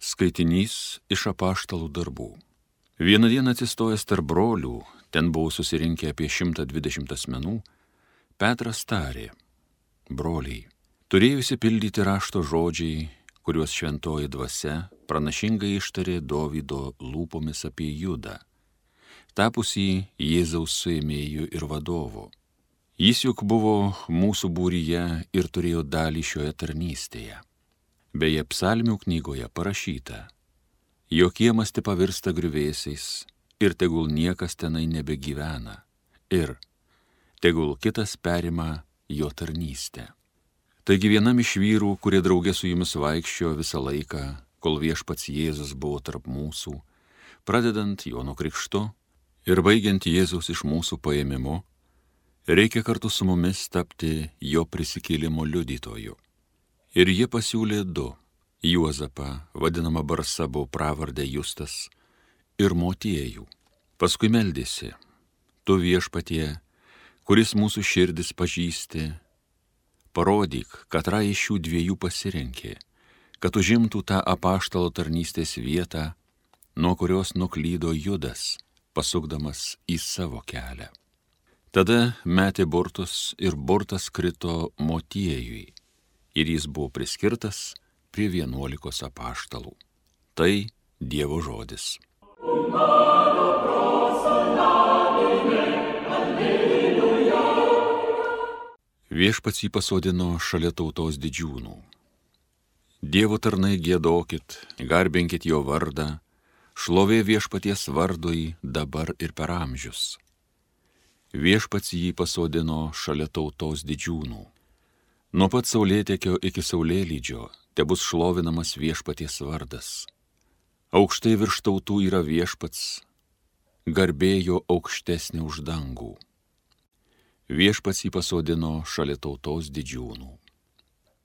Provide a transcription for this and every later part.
Skaitinys iš apaštalų darbų. Vieną dieną atsistojęs tarp brolių, ten buvo susirinkę apie 120 asmenų, Petras tarė: broliai, turėjo išsipildyti rašto žodžiai, kuriuos šventoji dvasia pranašingai ištarė Dovydo lūpomis apie Judą, tapusį Jėzaus suėmėju ir vadovu. Jis juk buvo mūsų būryje ir turėjo dalį šioje tarnystėje. Beje, psalmių knygoje parašyta: jo kiemas te pavirsta griuvėsiais ir tegul niekas tenai nebegyvena ir tegul kitas perima jo tarnystę. Taigi vienam iš vyrų, kurie draugė su jumis vaikščiojo visą laiką, kol viešpats Jėzus buvo tarp mūsų, pradedant Jono krikštu ir baigiant Jėzaus iš mūsų paėmimu, reikia kartu su mumis tapti jo prisikėlimo liudytoju. Ir jie pasiūlė du: Juozapą, vadinamą Barsabo pravardę Justas, ir Motiejų. Paskui meldėsi: tu viešpatie, kuris mūsų širdis pažįsti, parodyk, katrą iš šių dviejų pasirenkė, kad užimtų tą apaštalo tarnystės vietą, nuo kurios nuklydo Judas, pasukdamas į savo kelią. Tada metė burtus ir burtas krito Motiejui, ir jis buvo priskirtas prie 11 apaštalų. Tai Dievo žodis. Viešpats jį pasodino šalia tautos didžiūnų. Dievo tarnai giedokit, garbinkit jo vardą, šlovė viešpaties vardui dabar ir per amžius. Viešpats jį pasodino šalia tautos didžiūnų. Nuo pat saulėtekio iki saulėlydžio tebus šlovinamas viešpaties vardas. Aukštai virš tautų yra viešpats, garbė jo aukštesnė už dangų. Viešpats jį pasodino šalia tautos didžiūnų.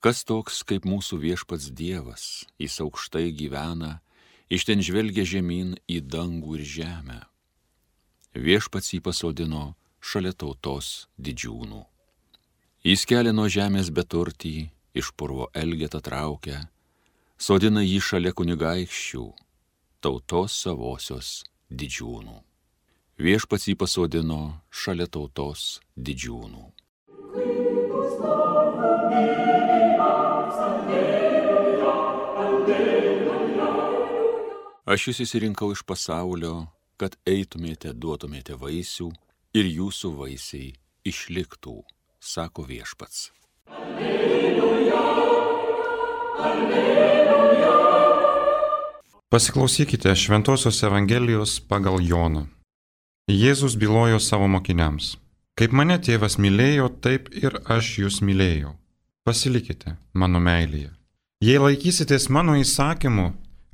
Kas toks kaip mūsų viešpats Dievas, jis aukštai gyvena, iš ten žvelgia žemyn į dangų ir žemę. Viešpats jį pasodino šalia tautos didžiūnų. Jis kelia nuo žemės beturtį, iš purvo elgetą traukia, sodina jį šalia kunigaikščių, tautos savosios didžiūnų. Viešpats jį pasodino šalia tautos didžiūnų. Aš jūs išsirinkau iš pasaulio, kad eitumėte, duotumėte vaisių ir jūsų vaisiai išliktų, sako viešpats. Alleluja, alleluja. Pasiklausykite Šventosios Evangelijos pagal Joną. Jėzus bylojo savo mokiniams: kaip mane tėvas mylėjo, taip ir aš jūs mylėjau. Pasilikite mano meilėje. Jei laikysitės mano įsakymų,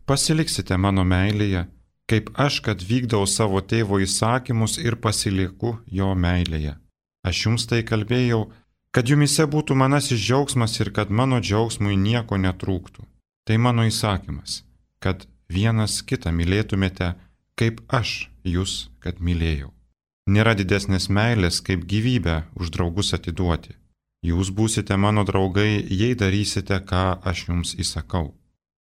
pasiliksite mano meilėje, kaip aš, kad vykdau savo tėvo įsakymus ir pasilieku jo meilėje. Aš jums tai kalbėjau, kad jumise būtų manasis džiaugsmas ir kad mano džiaugsmui nieko netrūktų. Tai mano įsakymas, kad vienas kitą mylėtumėte, kaip aš jūs, kad mylėjau. Nėra didesnės meilės, kaip gyvybę už draugus atiduoti. Jūs būsite mano draugai, jei darysite, ką aš jums įsakau.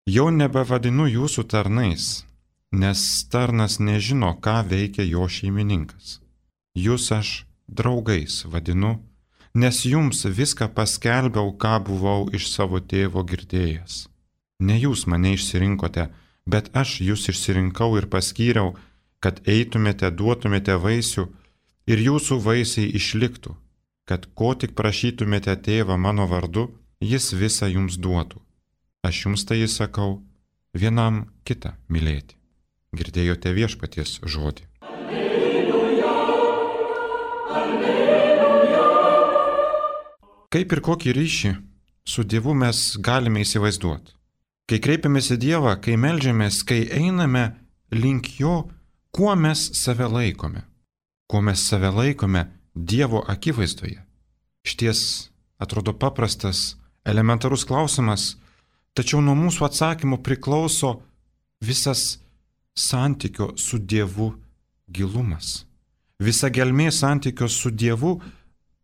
Jau nebevadinu jūsų tarnais, nes tarnas nežino, ką veikia jo šeimininkas. Jūs aš draugais vadinu, nes jums viską paskelbiau, ką buvau iš savo tėvo girdėjęs. Ne jūs mane išsirinkote, bet aš jūs išsirinkau ir paskyriau, kad eitumėte, duotumėte vaisių ir jūsų vaisiai išliktų, kad ko tik prašytumėte tėvą mano vardu, jis visą jums duotų. Aš jums tai įsakau, vienam kitą mylėti. Girdėjote viešpaties žodį. Alleluja, alleluja. Kaip ir kokį ryšį su Dievu mes galime įsivaizduoti? Kai kreipiamės į Dievą, kai meldžiamės, kai einame link jo, kuo mes save laikome? Kuo mes save laikome Dievo akivaizdoje? Šties atrodo paprastas, elementarus klausimas, tačiau nuo mūsų atsakymų priklauso visas santykio su Dievu gilumas. Visa gelmė santykio su Dievu,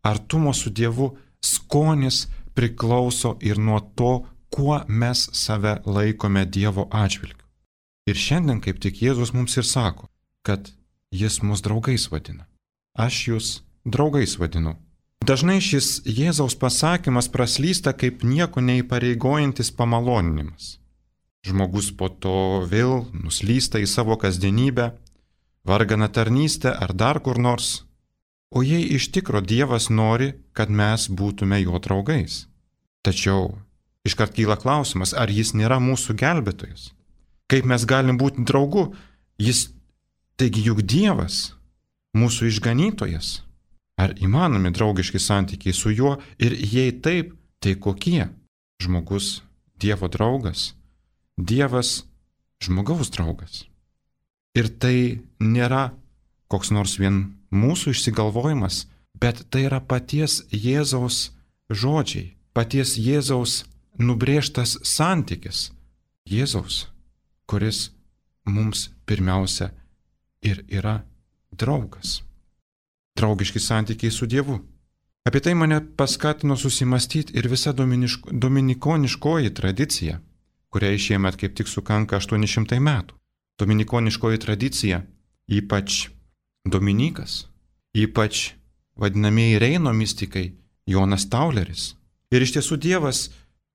artumo su Dievu skonis priklauso ir nuo to, kuo mes save laikome Dievo atžvilgiu. Ir šiandien kaip tik Jėzus mums ir sako, kad jis mus draugais vadina. Aš jūs draugais vadinu. Dažnai šis Jėzaus pasakymas praslysta kaip nieko neįpareigojantis pamaloninimas. Žmogus po to vėl nuslysta į savo kasdienybę, varganą tarnystę ar dar kur nors. O jei iš tikro Dievas nori, kad mes būtume jo draugais. Tačiau iškart kyla klausimas, ar jis nėra mūsų gelbėtojas? Kaip mes galim būti draugu? Jis, taigi juk Dievas, mūsų išganytojas. Ar įmanomi draugiški santykiai su juo ir jei taip, tai kokie? Žmogus Dievo draugas, Dievas žmogaus draugas. Ir tai nėra koks nors vien mūsų išsigalvojimas, bet tai yra paties Jėzaus žodžiai, paties Jėzaus nubrėžtas santykis. Jėzaus, kuris mums pirmiausia ir yra draugas. Draugiški santykiai su Dievu. Apie tai mane paskatino susimastyti ir visa dominikoniškoji tradicija, kuriai šiemet kaip tik sukanka 800 metų. Dominikoniškoji tradicija, ypač Dominikas, ypač vadinamieji Reino mistikai, Jonas Tauleris. Ir iš tiesų Dievas,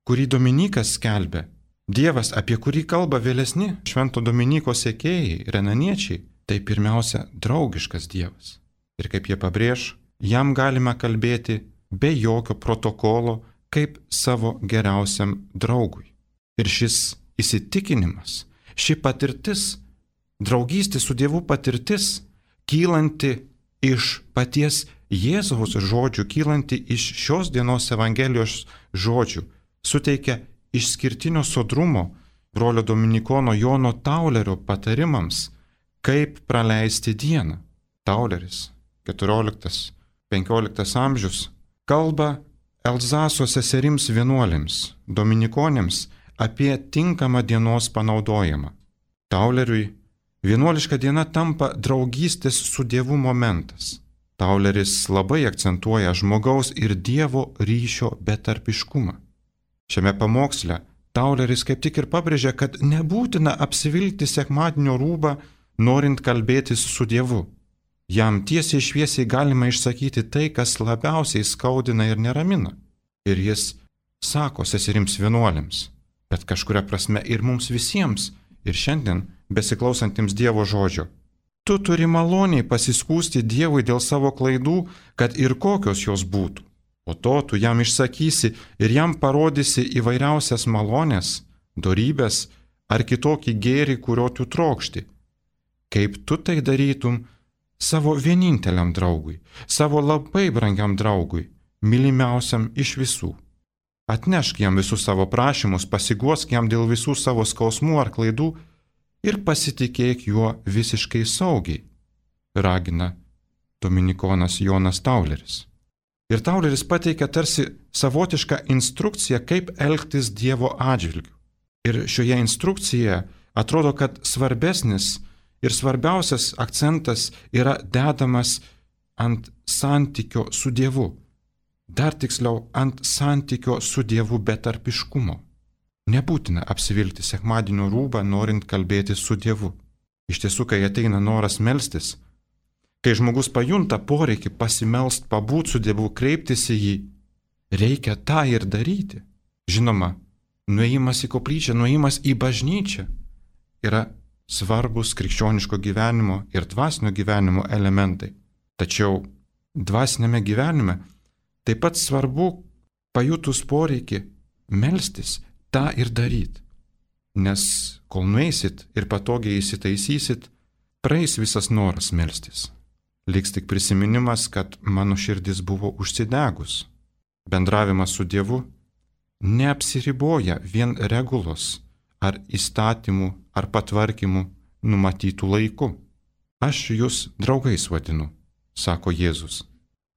kurį Dominikas skelbė, Dievas, apie kurį kalba vėlesni Švento Dominiko sekėjai, renaniečiai, tai pirmiausia draugiškas Dievas. Ir kaip jie pabrėž, jam galime kalbėti be jokio protokolo kaip savo geriausiam draugui. Ir šis įsitikinimas, ši patirtis, draugystė su Dievu patirtis, kylanti iš paties Jėzaus žodžių, kylanti iš šios dienos Evangelijos žodžių, suteikia išskirtinio sodrumo brolio dominikono Jono Taulerio patarimams, kaip praleisti dieną. Tauleris, 14-15 amžius, kalba Elzaso seserims vienuolėms, dominikonėms apie tinkamą dienos panaudojimą. Tauleriui vienuoliška diena tampa draugystės su Dievu momentas. Tauleris labai akcentuoja žmogaus ir Dievo ryšio betarpiškumą. Šiame pamoksle Tauleris kaip tik ir pabrėžia, kad nebūtina apsivilkti sekmadienio rūbą, norint kalbėtis su Dievu. Jam tiesiai šviesiai galima išsakyti tai, kas labiausiai skaudina ir neramina. Ir jis sako seserims vienuolėms, bet kažkuria prasme ir mums visiems, ir šiandien besiklausantiems Dievo žodžio. Tu turi maloniai pasiskųsti Dievui dėl savo klaidų, kad ir kokios jos būtų. Po to tu jam išsakysi ir jam parodysi įvairiausias malonės, dorybės ar kitokį gėrį, kurio tu trokšti. Kaip tu tai darytum savo vieninteliam draugui, savo labai brangiam draugui, mylimiausiam iš visų. Atnešk jam visus savo prašymus, pasiguosk jam dėl visų savo skausmų ar klaidų ir pasitikėk juo visiškai saugiai, ragina dominikonas Jonas Tauleris. Ir Tauleris pateikia tarsi savotišką instrukciją, kaip elgtis Dievo atžvilgiu. Ir šioje instrukcijoje atrodo, kad svarbesnis ir svarbiausias akcentas yra dedamas ant santykio su Dievu. Dar tiksliau, ant santykio su Dievu betarpiškumo. Nebūtina apsivilkti sekmadienio rūbą, norint kalbėti su Dievu. Iš tiesų, kai ateina noras melstis, kai žmogus pajunta poreikį pasimelst, pabūt su Dievu, kreiptis į jį, reikia tą ir daryti. Žinoma, nuėjimas į koplyčią, nuėjimas į bažnyčią yra svarbus krikščioniško gyvenimo ir dvasinio gyvenimo elementai. Tačiau dvasinėme gyvenime taip pat svarbu pajutus poreikį melstis, tą ir daryti. Nes kol nueisit ir patogiai įsitaisysit, praeis visas noras melstis. Liks tik prisiminimas, kad mano širdis buvo užsidegus. Bendravimas su Dievu neapsiriboja vien regulos ar įstatymų ar patvarkymų numatytų laiku. Aš jūs draugais vadinu, sako Jėzus.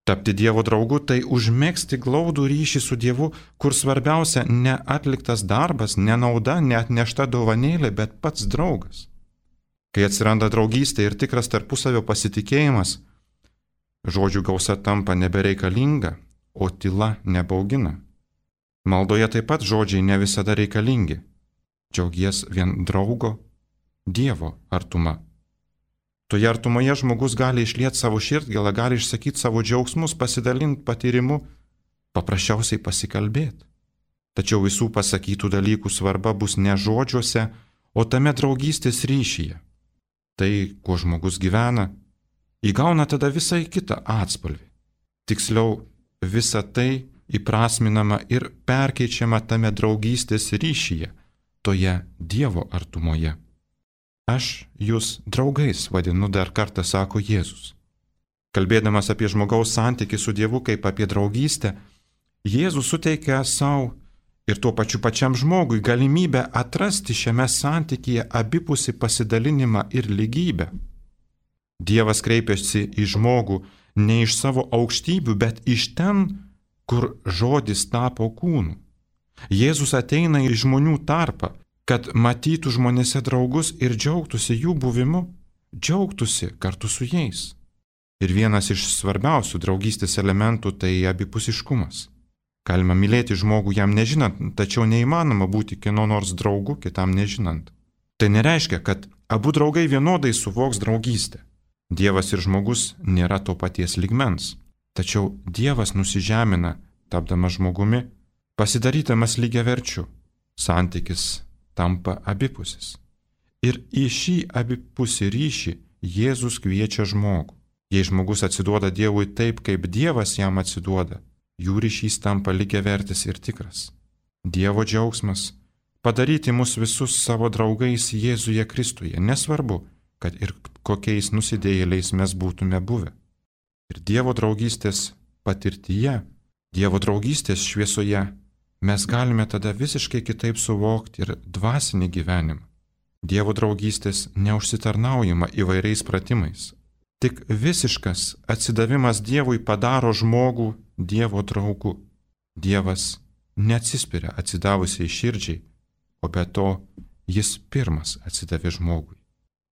Tapti Dievo draugu tai užmegzti glaudų ryšį su Dievu, kur svarbiausia ne atliktas darbas, ne nauda, ne atnešta dovanėlė, bet pats draugas. Kai atsiranda draugystė ir tikras tarpusavio pasitikėjimas, žodžių gausa tampa nebereikalinga, o tyla nebaugina. Maldoje taip pat žodžiai ne visada reikalingi. Džiaugies vien draugo, Dievo artuma. Toje artumoje žmogus gali išlieti savo širdgėlą, gali išsakyti savo džiaugsmus, pasidalinti patyrimu, paprasčiausiai pasikalbėti. Tačiau visų pasakytų dalykų svarba bus ne žodžiuose, o tame draugystės ryšyje. Tai, kuo žmogus gyvena, įgauna tada visai kitą atspalvį. Tiksliau, visa tai įprasminama ir perkeičiama tame draugystės ryšyje, toje Dievo artumoje. Aš jūs draugais vadinu, dar kartą sako Jėzus. Kalbėdamas apie žmogaus santykį su Dievu kaip apie draugystę, Jėzus suteikia savo ir tuo pačiam žmogui galimybę atrasti šiame santykyje abipusį pasidalinimą ir lygybę. Dievas kreipiasi į žmogų ne iš savo aukštybių, bet iš ten, kur žodis tapo kūnu. Jėzus ateina į žmonių tarpą, kad matytų žmonėse draugus ir džiaugtųsi jų buvimu, džiaugtųsi kartu su jais. Ir vienas iš svarbiausių draugystės elementų tai abipusiškumas. Galima mylėti žmogų jam nežinant, tačiau neįmanoma būti kieno nors draugu kitam nežinant. Tai nereiškia, kad abu draugai vienodai suvoks draugystę. Dievas ir žmogus nėra to paties lygmens, tačiau Dievas nusižemina, tapdamas žmogumi, pasidarydamas lygiaverčiu. Santykis tampa abipusis. Ir į šį abipusį ryšį Jėzus kviečia žmogų. Jei žmogus atsiduoda Dievui taip, kaip Dievas jam atsiduoda, jų ryšys tampa lygiavertis ir tikras. Dievo džiaugsmas – padaryti mus visus savo draugais Jėzuje Kristuje, nesvarbu, kad ir kokiais nusidėjėliais mes būtume buvę. Ir Dievo draugystės patirtyje, Dievo draugystės šviesoje mes galime tada visiškai kitaip suvokti ir dvasinį gyvenimą. Dievo draugystės neužsitarnaujama įvairiais pratimais. Tik visiškas atsidavimas Dievui padaro žmogų Dievo draugu. Dievas neatsispiria atsidavusiai širdžiai, o be to jis pirmas atsidavė žmogui.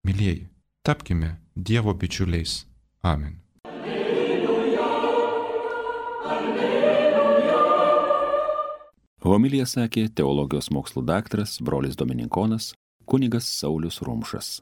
Mylieji, tapkime Dievo bičiuliais. Amen. Homiliją sakė teologijos mokslų daktaras, brolis dominikonas, kunigas Saulius Rumšas.